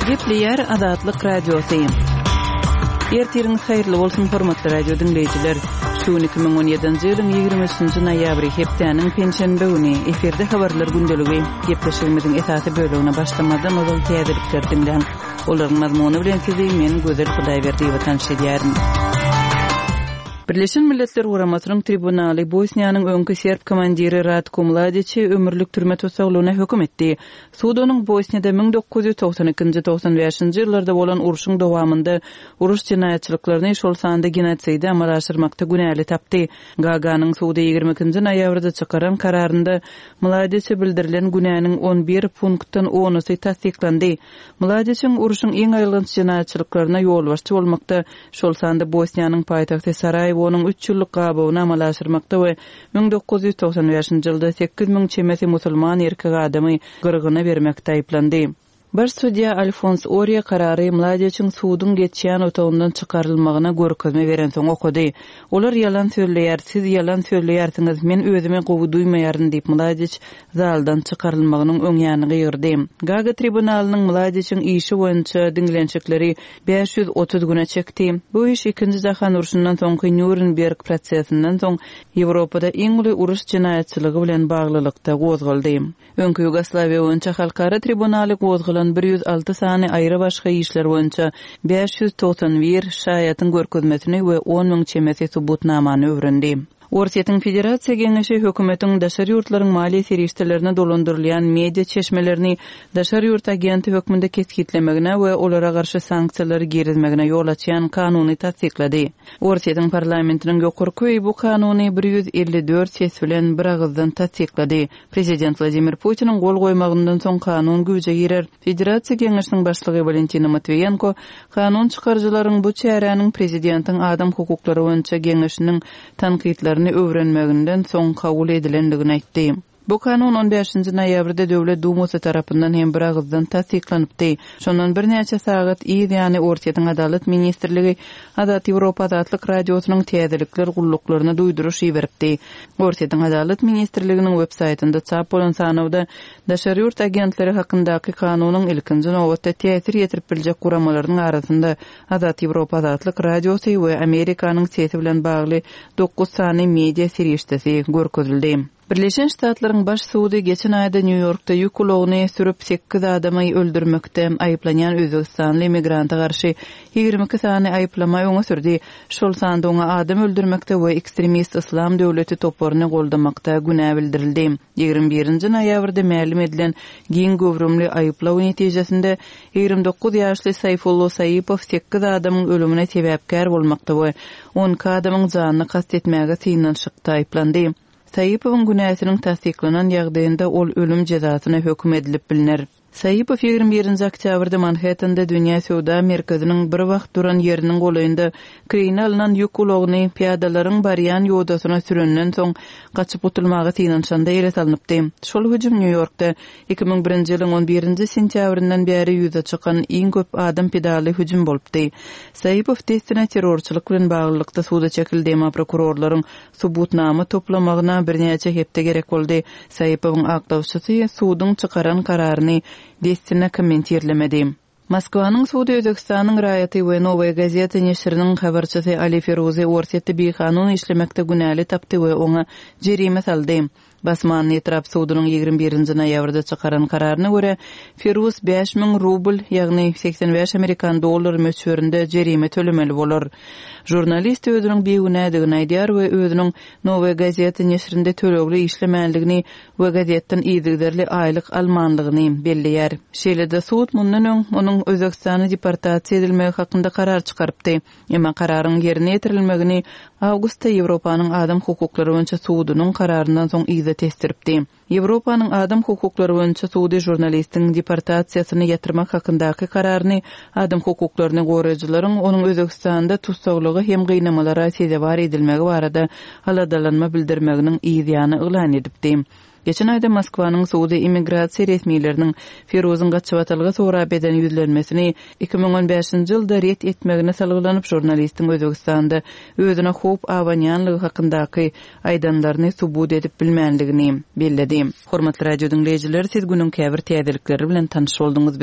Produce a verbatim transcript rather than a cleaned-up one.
Gepleýär Azatlyk Radiosy. Ertiriňiz haýyrly bolsun, hormatly radio diňleýjiler. Şu gün iki müň on ýedinji ýylyň ýigrimi üçünji noýabry, hepdäniň penşenbe güni. Efirde habarlar gündeligi. Gepleşigimiziň esasy bölegine başlamazdan ozal täzelikleri diňläň. Olaryň mazmuny bilen sizi men Gözel Hudaýberdiýewa tanyş edýärin. Birleşen Milletler Guramasynyň tribunaly Bosniýanyň öňki serb komandiri Ratko Mladiçi ömürlik türme tussaglygyna höküm etdi. Sud onuň Bosniýada müň dokuz ýüz togsan ikinji, togsan bäşinji ýyllarda bolan urşuň dowamynda uruş jenaýatçylyklaryny, şol sanda genosidi amala aşyrmakda günäli tapdy. Gaganyň sudy ýigrimi ikinji noýabrda çykaran kararynda Mladiçe bildirilen günäniň on bir punktdan onusy tassyklandy. Mladiçiň urşuň iň aýylganç jenaýatçylyklaryna ýolbaşçy bolmakda, şol sanda Bosniýanyň paýtagty Saraýewonyň üç ýyllyk gabawyny amala aşyrmakda we müň dokuz ýüz togsan bäşinji ýylda sekiz müň çemesi musulman erkek adamy gyrgyna bermekde aýyplandy. Baş sudýa Alfons Orýa karary Mladiçiň suduň geçýän otagyndan çykarylmagyna görkezme berensoň okady. Olar ýalan sözleýär, siz ýalan sözleýärsiňiz, men özümi gowy duýmaýaryn diýip Mladiç zaldan çykarylmagynyň öň ýany gygyrdy. Gaga tribunalynyň Mladiçiň işi boýunça diňlenişikleri bäş ýüz otuz güne çekdi. Bu iş ikinji jahan urşundan soňky Nýurnberg prosesinden soň Ýewropada iň uly uruş jenaýatçylygy bilen baglylykda gozgaldy. Öňki Ýugoslawiýa boýunça halkara tribunaly gozgalan bir ýüz alty sany aýry başga işler boýunça bäş ýüz togsan bir şaýatyň görkezmesini we on müň çemesi subutnamany öwrendi. Orsýetiň Federasiýa Geňeşi hökümetiň daşary ýurtlaryň maliýe serişdelerine dolandyrylýan media çeşmelerini daşary ýurt agenti hökmünde kesgitlemegine we olara garşy sanksiýalary girizmegine ýol açýan kanuny tassyklady. Orsýetiň parlamentiniň ýokarky öýi bu kanuny bir ýüz elli dört ses bilen bir agyzdan tassyklady. Prezident Wladimir Putiniň gol goýmagyndan soň kanun güýje girer. Federasiýa Geňeşiniň başlygy Walentina Matwiýenko kanun çykaryjylaryň bu çäräniň prezidentiň adam hukuklary boýunça geňeşiniň tankytlaryny öwrenmeginden soň kabul edilendigini aýtdy. Bu kanun on bäşinji noýabrda Döwlet Dumasy tarapyndan hem bir agyzdan tassyklanypdy. Şondan birnäçe sagat yz ýany Orsýetiň Adalat Ministrligi Azat Ýewropa Azatlyk Radiosynyň täzelikler gulluklaryna duýduryş iberipdi. Orsýetiň Adalat Ministrliginiň web saýtynda çap bolan sanawda daşary ýurt agentleri hakyndaky kanunyň ilkinji nobatda täsir ýetirip biljek guramalaryň arasynda Azat Ýewropa Azatlyk Radiosy we Amerikanyň sesi bilen bagly dokuz sany media serişdesi görkezildi. Birleşen Ştatlaryň baş sudy geçen aýda Nýu-Ýorkda ýük ulagyny sürüp sekiz adamy öldürmekde aýyplanýan Özbegistanly migranta garşy ýigrimi iki sany aýyplama öňe sürdi. Şol sanda oňa adam öldürmekde we ekstremist Islam döwleti toparyny goldamakda günä bildirildi. Ýigrimi birinji noýabrda mälim edilen giň göwrümli aýyplaw netijesinde ýigrimi dokuz ýaşly Saýfullo Saýipow sekiz adamyň ölümine sebäpkär bolmakda we on iki adamyň janyny kast etmäge synanyşykda aýyplandy. Saýipowyň günäsiniň tassyklanan ýagdaýynda ol ölüm jezasyna höküm edilip biliner. Saýipow ýigrimi birinji oktýabrda Manhattanda Dünýä Söwda Merkeziniň bir wagt duran ýeriniň golaýynda kireýine alynan ýük ulagyny piýadalaryň barýan ýodasyna sürenden soň gaçyp gutulmaga synanyşanda ele salynypdy. Şol hüjüm Nýu-Ýorkda iki müň birinji ýylyň on birinji sentýabryndan bäri ýüze çykan iň köp adam pidaly hüjüm bolupdy. Saýipow dessine terrorçylyk bilen baglylykda suda çekildi, emma prokurorlaryň subutnama toplamagyna birnäçe hepde gerek boldy. Saýipowyň aklawçysy suduň çykaran kararyny dessine kommentirlemedi. Moskwanyň sudy Özbekistanyň raýaty we Nowaýa gazeti neşiriniň habarçysy Ali Feruzi Orsýetde bikanun işlemekde günäli tapdy we oňa jerime saldy. Basmanly etrap sudunyň ýigrimi birinji noýabrda çykaran kararyna görä Feruz bäş müň rubl, ýagny seksen bäş amerikan dollar möçberinde jerime tölemeli bolar. Jurnalist özüniň bigünädigini aýdýar we özüniň Nowaýa gazeti neşirinde tölegli işlemänligini we gazetden yzygiderli aýlyk almanlygyny belleýär. Şeýle-de sud mundan öň onuň Özbekistana deportasiýa edilmegi hakynda karar çykarypdy. Emma kararyň ýerine ýetirilmegini awgustda Ýewropanyň adam hukuklary boýunça sudunyň kararyndan soň yza tesdiripdi. Ýewropanyň adam hukuklary boýunça sudy jurnalistiň deportasiýasyny ýatyrmak hakyndaky kararyny adam hukuklaryny goraýjylaryň onuň Özbekistanda tussaglygy hem gynamalara sezewar edilmegi barada aladalanma bildirmeginiň yz ýany yglan edipdi. Geçen aýda Moskwanyň sudy immigrasiýa resmileriniň Feruzyň gaçybatalga sorap eden ýüzlenmesini iki müň on bäşinji ýylda ret etmegine salgylanyp jurnalistiň Özbekistanda özüne howp abanýanlygy hakyndaky aýdanlaryny subut edip bilmänligini belledi. Hormatly radio diňleýjiler, siz günüň käbir täzelikleri bilen tanyş bolduňyz.